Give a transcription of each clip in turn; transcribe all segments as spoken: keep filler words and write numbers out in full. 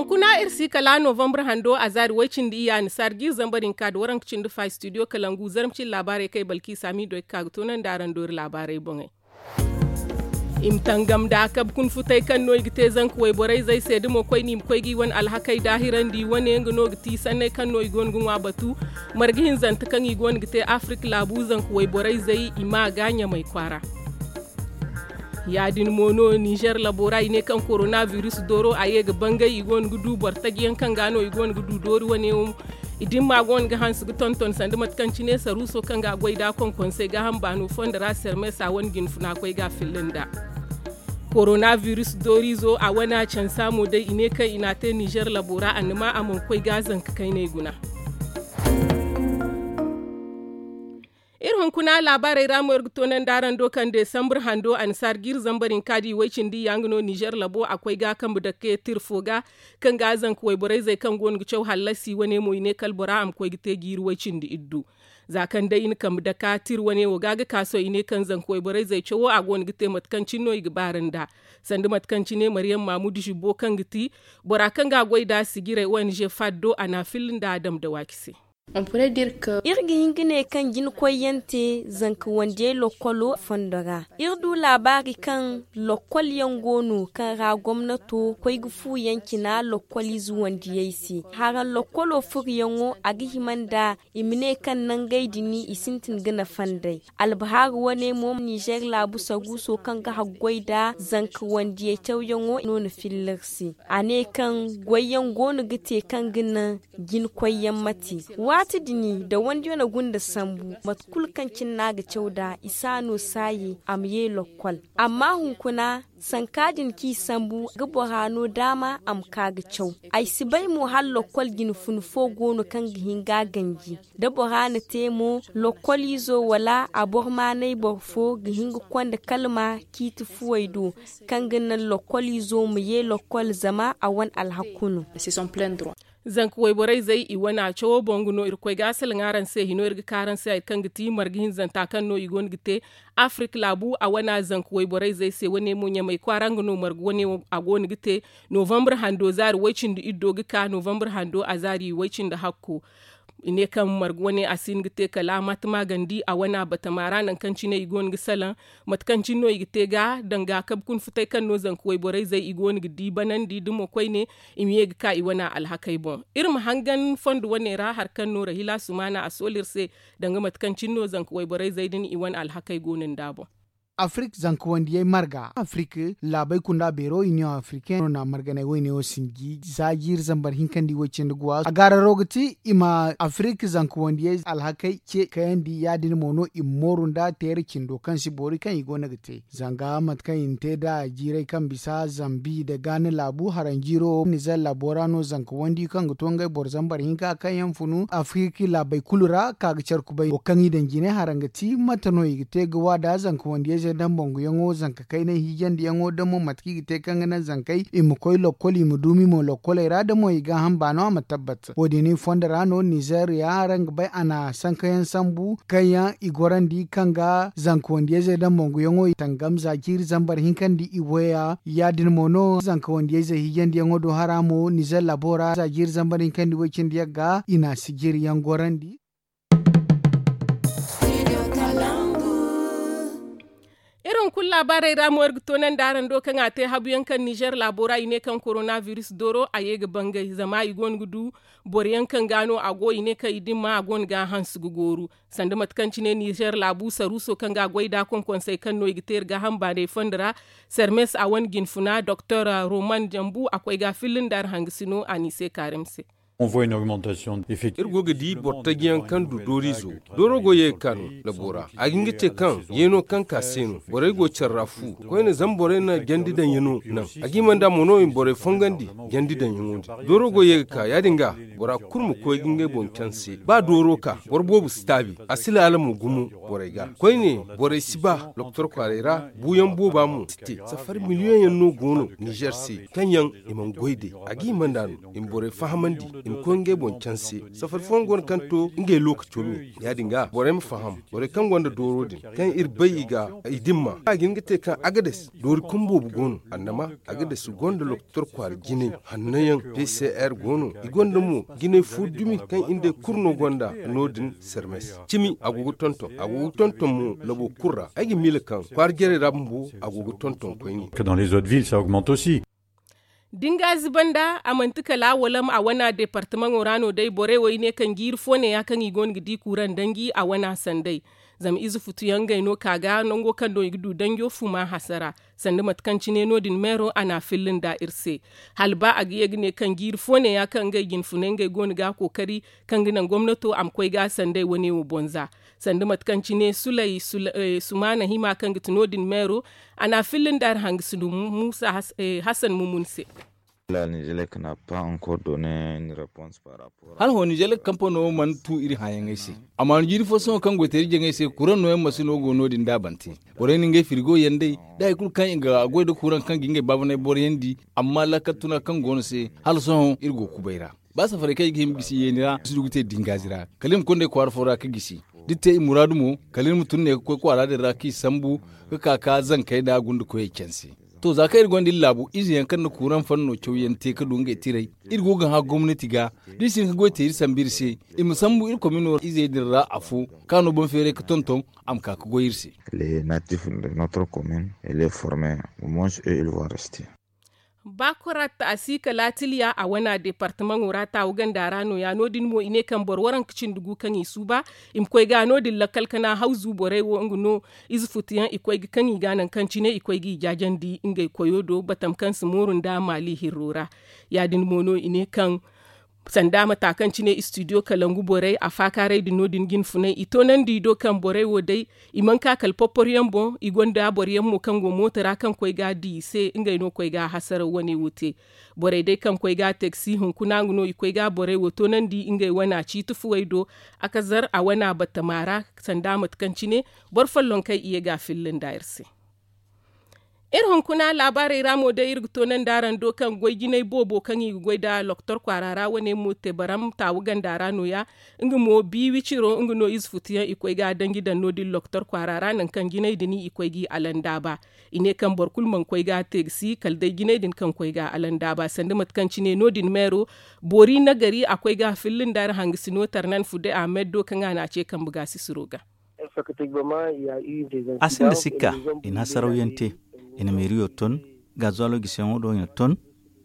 Kuna iri si kala novambre hando a zaari way-cindi iyya annasaara jiiri zambar hinka nda waranka cindi fa studio kalangu zarma cine laabaarey kaŋ ay balki saamiido ay ga ka ga toonandi araŋ doori laabaarey boŋey. I ma tangam nda a kabe kuna futay kaŋ no i ga te zanka wayborey zey se da mo koyne i ma koy ga i wane alhakey daahirandi wane nga no ga ti sanney kaŋ no i go no ga ŋwa batu marga hinzante kaŋ i go no ga te afirik laabu zanka wayborey zey i ma a ga ɲamay kwaara. Ya- din mo no ninzeer labo ra i ne kaŋ korona biris dooro a ye ga bangay i go no ga du boro taji yaŋ kaŋ ga no i go no ga du doori wane wo. I dimma go no ga hanse ga tonton sanda mate kaŋ cine saruuso kaŋ ga a goy nd'a konkonsey gaaham baano fondo ra sermes a wane jinfuna koy ga a filla nd'a. Korona biris dooriizo a wane a cansa mo day i ne kaŋ i n'a te ninzeer labo ra annama a mana koy ga zanka kayney guna. Iri hunkuna laabaarey ra mo iri ga toonandi araŋ do kaŋ desambre hando annasaara jiiri zambar hinka da i way-cindi iyya nga no ninzeer labo a koy ga kambe dake tira fo ga kaŋ ga zanka wayborey zey kaŋ go no ga caw hallasi wane mo i ne kala bora a ma koy ga te jiiri way-cindi iddu. Za kaŋ day i na kambe daka tira wane wo ga ga ka sohõ i ne kaŋ zanka wayborey zey cawo a go no ga te mate kaŋ cine no i ga baara nd'a. Sanda mate kaŋ cine mariyam maamudu zibbo kaŋ ga ti bora kaŋ ga a goy nd'a sijirey ong faddo a n'a filla nd'a a dam da waaci se. Iri ga hin ga ne kaŋ jina koyyaŋ te zanka wandiyey lokkolo fondo ra. Iri du laabaari kaŋ lokkol yaŋ go no kaŋ ra gomnato koy ga fu yaŋ cina lokkol ize wandiyey se. Haraŋ lokkolo furuyaŋo a ga hima nda i ma ne kaŋ nangey din i sintin ga nafa nd'ey. Albahaaru wane mo ninzeer laabu saruuso kaŋ ga haggoy nda zanka wandiyey cawyaŋo no na filla iri se. A ne kaŋ goyyaŋ go no ga te kaŋ ga naŋ jina koyyaŋ mate. Waati din da wandiyano gunda sambu mate kulu kaŋ cine no a ga caw nd'a i si a no saaye a ma ye lokkol. Amma hunkuna sanka din kaŋ i sambu ga bora no daama a ma ka ga caw. Ay si bay mo hala lokkol jinfuna fo go no kaŋ ga hin ga a ganji. Da bora na te mo lokkol izo wala a boro maanay boro fo ga hin ga konda kalma ciiti fuwey do kaŋ ga naŋ lokkol izo ma ye lokkol zama a wane alhakku no. Zanka wayborey zey i wane a cawo boŋ ga no irkoy ga a salaŋ araŋ se hino iri ga ka araŋ se hari kaŋ ga ti marga hinzanta kaŋ no i go no ga te afirik laabu a wane a zanka wayborey zey se wane mo ɲamay kwaara nga no marga wane a go no ga te novambre hando zaari way-cindi iddo ga ka novambre hando a zaari way-cindi hakko. I ne kaŋ marga wane a si hin ga te kala a ma tama gandi a wane a batama ra nangu kaŋ cine i go no ga salaŋ mate kaŋ cine no i ga te ga danga kabe kuna futay kaŋ no zanka wayborey zey i go no ga di banandi da mo koyne i ma ye ga ka i wane alhakey boŋ. Iri ma hangan fondo wane ra hari kaŋ no rahila sumaana a soolu iri se danga mate kaŋ cine no zanka wayborey zey din i wane alhakey go no nd'a boŋ. Afirik zanka wandiyey marga afirik laabey kunda beero iniyoŋ afirikeŋ no na marganey woyne wo sinji za jiiri zambar hinka nda i woy cindi guwa a gaararo ga ti i ma afirik zanka wandiyey alhakey ce kayandi ya- din mo no i ma mooru nda teera cindo kaŋ si boori kaŋ i go no ga te. Zanga mate kaŋ i na te nd'a jiirey kaŋ bisa zambi nda gaana laabu haraŋ jiiro nizer laabo ra no zanka wandi kaŋ ga to ngey boro zambar hinka kaŋ yaŋ funu afirik laabey kulu ra ka ga care kubay wo kaŋ i daŋ jine haraŋ ga ti mate no i ga te ga waada zanka wandiyey zey daŋ banguyaŋo zanka kaynay hiijandiyaŋo da mo mate kaŋ i ga te kaŋ ga naŋ zankey i ma koy lokkol i ma duumi mo lokkoley ra da mo i gaaham baano a ma tabbat wo- din i fondo ra no nizer ya araŋ ga bay a na sankayaŋ sambu kaŋ yaŋ i gorandi kaŋ ga zanka wandiyey zey daŋ banguyaŋo i tangam za jiiri zambar hinka nda i waya ya- din mo no zanka wandiyey zey hiijandiyaŋo do hara mo nizer laabo ra za jiiri zambar hinka nda i way cindi yagga i na sijiriyaŋ gorandi. Iri hunkuna laabaarey ra mo iri ga toonandi araŋ do kaŋ a te habu yaŋ kaŋ nizer laabo ra i ne kaŋ korona biris dooro a ye ga bangay zama i go no ga du boro yaŋ kaŋ ga no a go i ne kaŋ i dimma a go no ga a hanse ga gooru. Sanda mate kaŋ cine nizer laabu saruuso kaŋ ga a goy nd'a konkonsey kaŋ no i ga te iri gaaham baaney fondo ra sermes a wane jinfuna doktor roman jambu a koy ga a filla nda iri hangasino a n'i se kaarim se. Iri go ga di boro taji yaŋ kaŋ du dooriizo dooro go ye ga ka no labo ra a ga hin ga te kaŋ yeeno kaŋ ka se no borey go care ra fu koyne zama borey na jandi daŋ yaŋo naŋ a ga hima nd'a mo no i ma borey fongandi jandi daŋ yaŋo din dooro go ye ga ka ya- din ga bora kulu ma koy ga ngey boŋ canse ba dooro ka boro boobo si taabi a si laala mo gumo borey ga koyne borey si ba doktor kwaarey ra buuyaŋ booba mo si te safari miliyoŋ yaŋ no go no nizer se kaŋ yaŋ i mana goy day a ga hima nd'a no i ma borey fahamandi. i ma koy ngey boŋ canse. Safari fooyaŋ go no kaŋ to ngey lookaco me. Ya- din ga borey ma faham, borey kaŋ gonda dooro din, kaŋ iri bay i ga i dimma a ga hin ga te kaŋ agades doori kaŋ boobo go no. Annama agades gonda lokotor kwaara jinay hanno yaŋ. P c r go no. I gonda mo jinay fo dumi kaŋ iri nd'ey kulu no gonda no- din. Sermes cimi a go ga tonton a go ga tonton mo labo kulu ra ay ga miila kaŋ kwaara jarey ra bumbo a go ga tonton koyne. Dans les autres villes ça augmente aussi. Dingazi banda a manti kala walam a wana departamaŋo ra no day borey wo i ne kaŋ jiiri fo ne ya kaŋ i go no ga di kuuraŋ danji a wana sanday. Zama ize futuyaŋ ngey no ka ga nango kaŋ no i ga du danjo fuma hasara. Sanda mate kaŋ cine no- din meero a n'a filla nda iri se. Hala ba a ga ye ga ne kaŋ jiiri fo ne ya kaŋ ngey jinfunay ngey go no ga kookari kaŋ ga naŋ gomnato a ma koy ga sanday wane wo bonza. Sanda mate kaŋ cine sulay sumaana hima kaŋ ga ti no- din meero a n'a filla nda iri hangasino musa hasan mumun se. Hala hõ nizeer kampaney mana tu iri hããyaŋey se. Amma no jiiri fo sohõ kaŋ goytaray jaŋey se kuraŋ nooyaŋ masino go no- din da a bante. Borey na ngey firigo yaŋ day da hari kulu kaŋ i ga goy nda kuraŋ kaŋ ga ngey baabanay boroyaŋ di. Amma laakal tuna kaŋ go no se hala sohõ iri go kubay ra. Ba safarey kaŋ i ga hima gisi yeeni ra i si du ga te dingaazi ra kala i ma konda i kwaara fo ra ga gisi. Da i te i muraadu mo kala iri ma tun ne ga koy kwaara din ra kaŋ i sambu ga ka ka zankey nda gundakoyey canse. To za kaŋ iri gonda iri laabu ize yaŋ kaŋ na kuuraŋ fanno cawyaŋ te ga du ngey tiray. Iri go ga hã gomnati ga da i si hin ga goy te iri sambu iri se i ma sambu iri komino izey din ra afo kaŋ a no boŋ feeray ga tonton a ma ka ga goy iri se. Les natifs de notre commune et les former au moins eux ils vont rester. Ba korat a si kala tiliya a wana departamaŋo ra taawu ganda ra no- ya no- din mo i ne kaŋ boro waranka cindi gu kaŋ i suuba i ma koy ga no- din lakkal kana hawzu borey wo nga no. Ize futuyaŋ i koy ga kaŋ i ga naŋ kaŋ cine i koy ga i jaajandi ngey koyo do batam kaŋ si mooru nda maali hirro ra. Ya- din mo no i ne kaŋ sanda mata kaŋ cine istidiyo kalangu borey a faakaaray din no- din jinfunay i toonandi i do kaŋ borey wo day i mana ka kala porpor yaŋ boŋ i gonda boro yaŋ mo kaŋ go mooto ra kaŋ koy ga di i se ngey no koy ga hasaraw wane wo te. Borey day kaŋ koy ga a te ga si hunkuna nga no i koy ga borey wo toonandi ngey wana ciiti fuwey do. A kazar a wana batama ra sanda mate kaŋ cine boro follonkey i ye ga a filla nda iri se. Iri hunkuna laabaarey ra mo day iri ga toonandi araŋ do kaŋ goy jinay boobo kaŋ i ga goy nda loktor kwaara ra wane mo te baram taawu ganda ra no- ya. Nga mo bi wiciro nga no ize futuyaŋ i koy ga a danji daŋ no- din loktor kwaara ra nangu kaŋ jinay din i koy ga i alandaaba. I ne kaŋ boro kulu mana koy ga a te ga si kala day jinay din kaŋ koy ga a alandaaba sanda mate kaŋ cine no- din meero. Boori nagari a koy ga a filla nda iri hangasino tarnan fude ahmed do kaŋ a n'a ce kambe ga sisiro ga. A sinda sikka i na sarawyaŋ te. I na meeriyo ton gazuwalo gisiyaŋo do i na ton.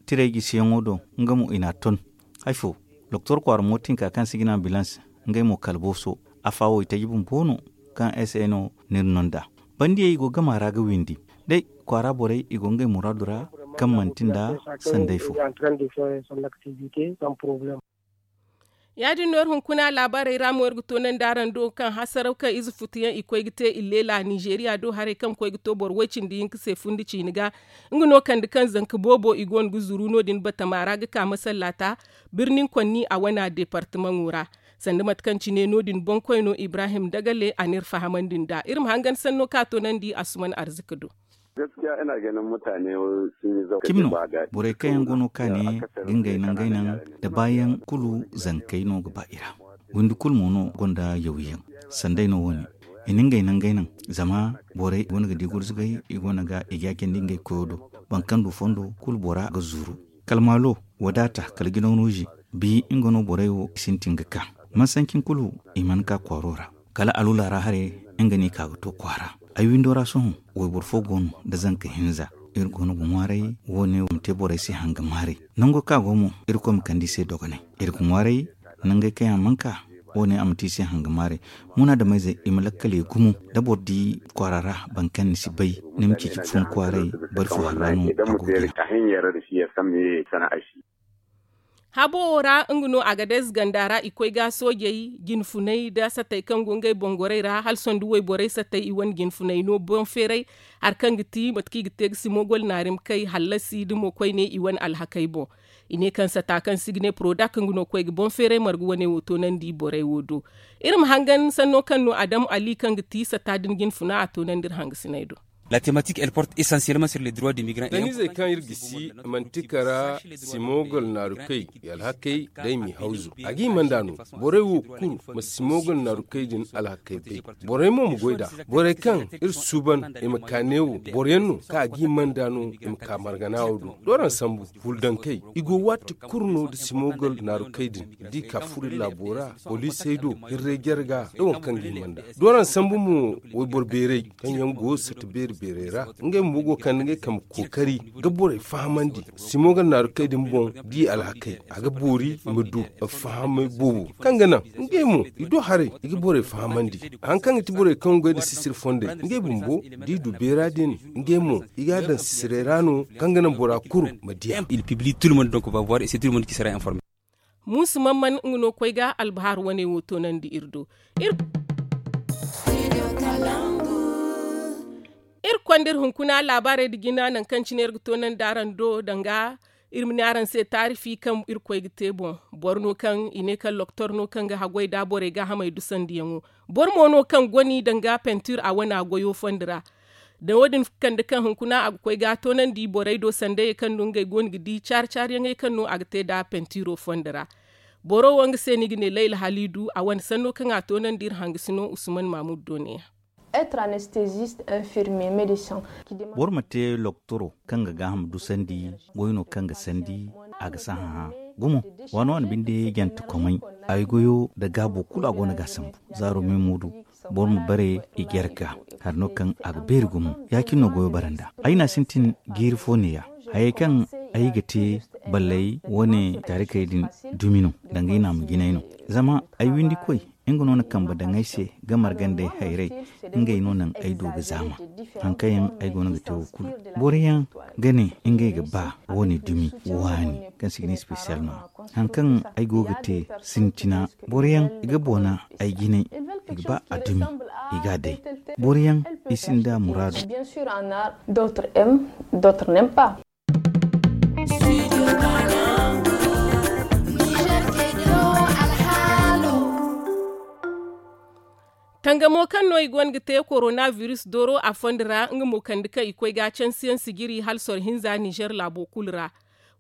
Tiray gisiyaŋo do nga mo i n'a ton. Hay fo doktor kwaara mootinka kaŋ si ga ne ambilans ngey mo kala booso. Afa wo i taji bumbo no kaŋ s n o n'iri no nd'a. Bandiyey i go gama ra ga windi day kwaara borey i go ngey muraadu ra kaŋ manti nda sanday fo. Ya- din no iri hunkuna laabaarey ra mo iri ga toonandi araŋ do kaŋ hasaraw kaŋ ize futuyaŋ i koy ga te illeela nizeeriya do haray kaŋ koy ga to boro way-cindi hinka se fundi ciine ga. Nga no kande kaŋ zanka boobo i go no ga zuru no- din batama ra ga ka masallaata birnin konni a wana departamaŋo ra. Sanda mate kaŋ cine no- din boŋkoyno ibrahim dagale a n'iri fahamandi nd'a iri ma hangan sanno kaŋ a toonandi asuman arzika do. Cimi no borey kaŋ yaŋ go no kaane ga ngey naŋ ngey naŋ da baayaŋ kulu zankey no ga ba i ra. Windi kulu mo no gonda yawyaŋ sanday no wo- ne i na ngey naŋ ngey naŋ. Zama borey go no ga di gurzugay i go no ga i jaajandi ngey koyo do. Boro kaŋ du fondo kulu bora ga zuru kala maalo wadaata kala jinaw no ze bi nga no borey wo i sintin ga ka. Mansancin kulu i mana ka kwaaro ra kala alula ra haray nga no i ka ga to kwaara. Ay windo ra sohõ wayboro fo go no nda zanka hinza. Iri go no ga ŋwaaray wo- ne ma te borey se hanga maaray. Nango kaŋ a go mo irkoy ma kande i se dogonay. Iri ga ŋwaaray nangey kaŋ yaŋ a mana ka wo- ne a ma te i se hanga maaray. Munaadameyzey i ma lakkaley gumo da boro di kwaara ra boro kaŋ ni si bay ni ma ceeci fun kwaaray bari fo harra no a go ga. Habo wo ra nga no agadez ganda ra i koy ga soojey jinfunay nda satey kaŋ go ngey boŋ gorey ra hala sonda wayborey satey i wane jinfunay no boŋ feeray. Hari kaŋ ga ti mate kaŋ i ga te ga si mogol naari ma kay hallasi da mo koyne i wane alhakey boŋ. I ne kaŋ sata kaŋ si ga ne porodak nga no koy ga boŋ feeray marga wane wo toonandi borey wo do. Iri ma hangan sanno kaŋ no adam ali kaŋ ga ti sata din jinfuna a toonandi iri hangasiney do. La tematik el porte esansiyeelman sur le droit de migran. Danizey kaŋ iri gisi manti kara simogol naarukey i alhakey day mi hawzu a ga himanda no. Borey wo kulu ma simogol naarukey din alhakey bay. Borey mo ma goy nd'a. Borey kaŋ iri suuban i ma ka neewo boroyaŋ no kaŋ a ga himanda no i ma ka margana wo do. Dooraŋ sambu huldankey i go waati kulu no nda simogol naarukey din. Da i ka furo iri laabo ra poliisey do hirray jarga nda waŋ kaŋ ga hima nd'a. Dooraŋ sambu mo wayboro beerey kaŋ yaŋ go sata beeri beerey ra ngey bumbo go kande ngey kambe kookari ga borey fahamandi. Simogol naarukey din boŋ da i alhakey a ga boori i ma du fahamay boobo kaŋ ga naŋ ngey mo i do haray i ga borey fahamandi. Hari kaŋ ga ti borey kaŋ ga goy nda sisiri fondey ngey bumbo da i du beera din ngey mo i ga a daŋ sisiray ra no kaŋ ga naŋ bora kulu ma diya. Il pibli tout le monde donc va voir et c'est tout le monde qui sera informé. Muusu mamman nga no koy ga albahar wane wo toonandi iri do. Iri konda iri hunkuna laabaarey nda jina nangu kaŋ cine iri ga toonandi araŋ do danga iri ma ne araŋ se taarifi kaŋ iri koy ga te boŋ. Boro no kaŋ i ne kaŋ loktor no kaŋ ga haggoy nda borey gaahamey dusandiyaŋo. Boro mo no kaŋ goni danga pentir a wana goyo fondi ra. Da wo- din kande kaŋ hunkuna a ga koy ga toonandi borey do sandayey kaŋ no ngey go no ga di caari caariyaŋey kaŋ no a ga te nd'a pentiro fondo ra. Boro wo nga se no i ga ne layla haliidu a wane sanno kaŋ a toonandi iri hangasino usman mamudu do ne ya. Être anesthésiste, infirmier, médecin. Boro ma te loktoro kaŋ ga gaaham dusandi goy no kaŋ ga sandi a ga sahã hã. Gumo waano wane binde jante komay ay goyo nda gaabo kulu a go no ga a sambu. Zaaro meemuudu boro ma bare i jare ga hari no kaŋ a ga beeri gumo ya- cine no goyo bare nd'a. Ay n'a sintin jiiri fo neeya hayey kaŋ ay ga te balley wane taarikey din dumi no danga ay n'a ma jinay no. Zama ay windikoy nga no na kambe daŋ ay se ga margandey hayray. Ngey no naŋ ay du ga zaama hari kaŋ yaŋ ay go no ga te wo kulu. Boro yaŋ ga ne ngey ga ba wane dumi waani kaŋ se i ga ne spesiyal no. Hari kaŋ ay go ga te sintina boro yaŋ i ga boona ay jinay i ga ba a dumi i ga a day. Boro yaŋ i sinda muraadu. Bien sûr en a d'autres aiment, d'autres n'aiment pas. Tangamo kaŋ no i go no ga te korona virus dooro a fondo ra nga mo kande kaŋ i koy ga cansiyaŋ sijiri hala soro hinza nizer laabo kulu ra.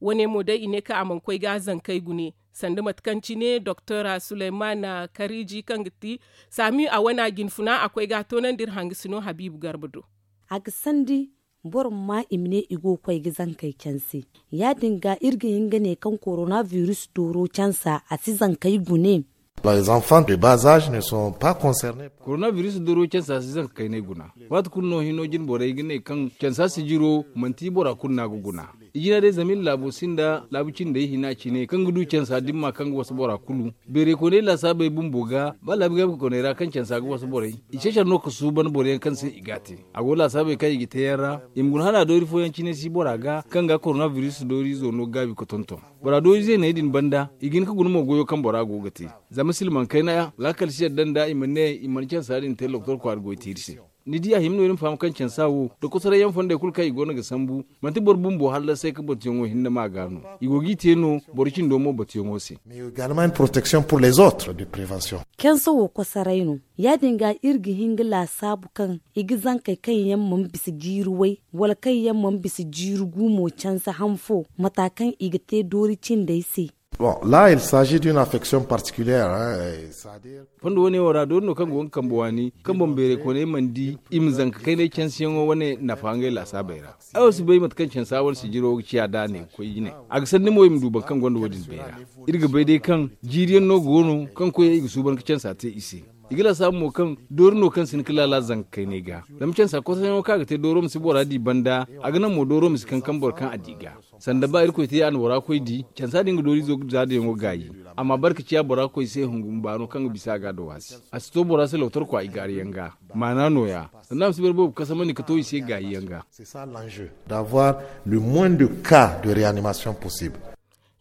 Wane mo day i ne kaŋ a mana koy ga zankey gune sanda mate kaŋ cine doktora suleyman kariji kaŋ ga ti saami a wana jinfuna a koy ga a toonandi iri hangasino habiibu garba do. A ga sandi boro ma ma i ma ne i go ga koy ga zankey canse. Ya- din ga iri ga hin ga ne kaŋ korona virus dooro cansa a si zankey gune. Les enfants de bas âge ne sont pas concernés. Korona virus dooro cansa si zanka kaynay guna. Waati kulu no hino jine borey ga ne kaŋ cansa sijiro manti bora kulu no a ga guna. I jina day zama iri laabo sinda laabu cindey hina cine kaŋ ga du cansa dimma kaŋ ga wasa bora kulu. Beeray koonay laasaabey bumbo ga ba laabu gaabi koonay ra kaŋ cansa ga wasa borey. I cecar no ga suuban boro yaŋ kaŋ se i ga a te. A go laasaabey kaŋ i ga te yaŋ ra i ma guna hala doori fooyaŋ cine si bora ga kaŋ ga korona virus doori izo no gaabi ga tonton. Bora doori zeeney din banda i ga hin ga guna mo goyo kaŋ bora go ga te. Zama silmaŋ kayna laakal si yadda nda i ma ne i mana cansa din te loktor kwaara goy te iri se. Ni di a hima no iri ma faham kaŋ cansa wo nda kosoray yaŋ fondey kulu kaŋ i go no ga sambu. Manti boro bumbo hallasay ga batuyaŋo hinne ma ga no. I go g'i te no boro cindo mo batuyaŋo se. Mais également une protection pour les autres de prévention. Cansa wo kosoray no. Ya- din ga iri ga hin ga laasaabu kaŋ i ga zankey kaŋ yaŋ mana bisa jiiri way wala kaŋ yaŋ mana bisa jiiri gu mo cansa han fo mata kaŋ i ga te doori cindey se. Bon là il s'agit d'une affection particulière. Fondo wane wo ra doori no kaŋ go ga kambe waani kaŋ boŋ beeray koonay mana di i ma zanka kaynay cansiyaŋo wane nafa ngey laasaabey ra. Ay wo si bay mate kaŋ cansa wane sijiro ga ciya da a ne ga koy jine. A ga sanni mo i ma du boro kaŋ gonda wo- din beera. Iri ga bay day kaŋ jiiriyaŋ no go no kaŋ koyey i ga suuban ga cansa te i se. I ga laasaabu mo kaŋ doori no kaŋ si hin ga laala zanka kaynay ga. Zama cansa kosoyaŋo kaŋ a ga te dooro ma si bora di banda a ga naŋ mo dooro ma si kankam boro kaŋ a di ga. Sanda ba irkoy te a na bora koy di cansa din ga doorizo za dayaŋo gaayi. Amma barka ciya bora koy se hungu ma baano kaŋ ga bisa a ga a dawaasi a si to bora se lotorkwa i gaariyaŋ ga. Maana nooya sanda a ma si boro boobo kasamandi ga to i se gaayiyaŋ ga. D'avoir le moins de cas de réanimation possible.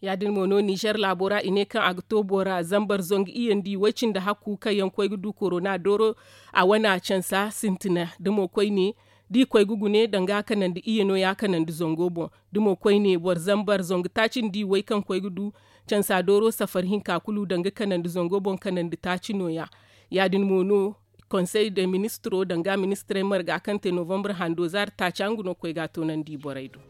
Ya- din mo no nizer laabo ra i ne kaŋ a ga to bora zambar zangu iyandi way cindi hakku kaŋ yaŋ koy ga du korona dooro a wana cansa sintina da mo koyne da i koy ga gune danga kanandi iyano ya kanandi zango boŋ. Da mo koyne boro zambar zangu taaci nda i way kaŋ koy ga du cansa dooro safar hinka kulu danga kanandi zango boŋ kanandi taaci nooya. Ya- din mo no konsey de ministiro danga ministirey marga kaŋ te novambre hando zaari taaca nga no ga koy ga a toonandi borey do.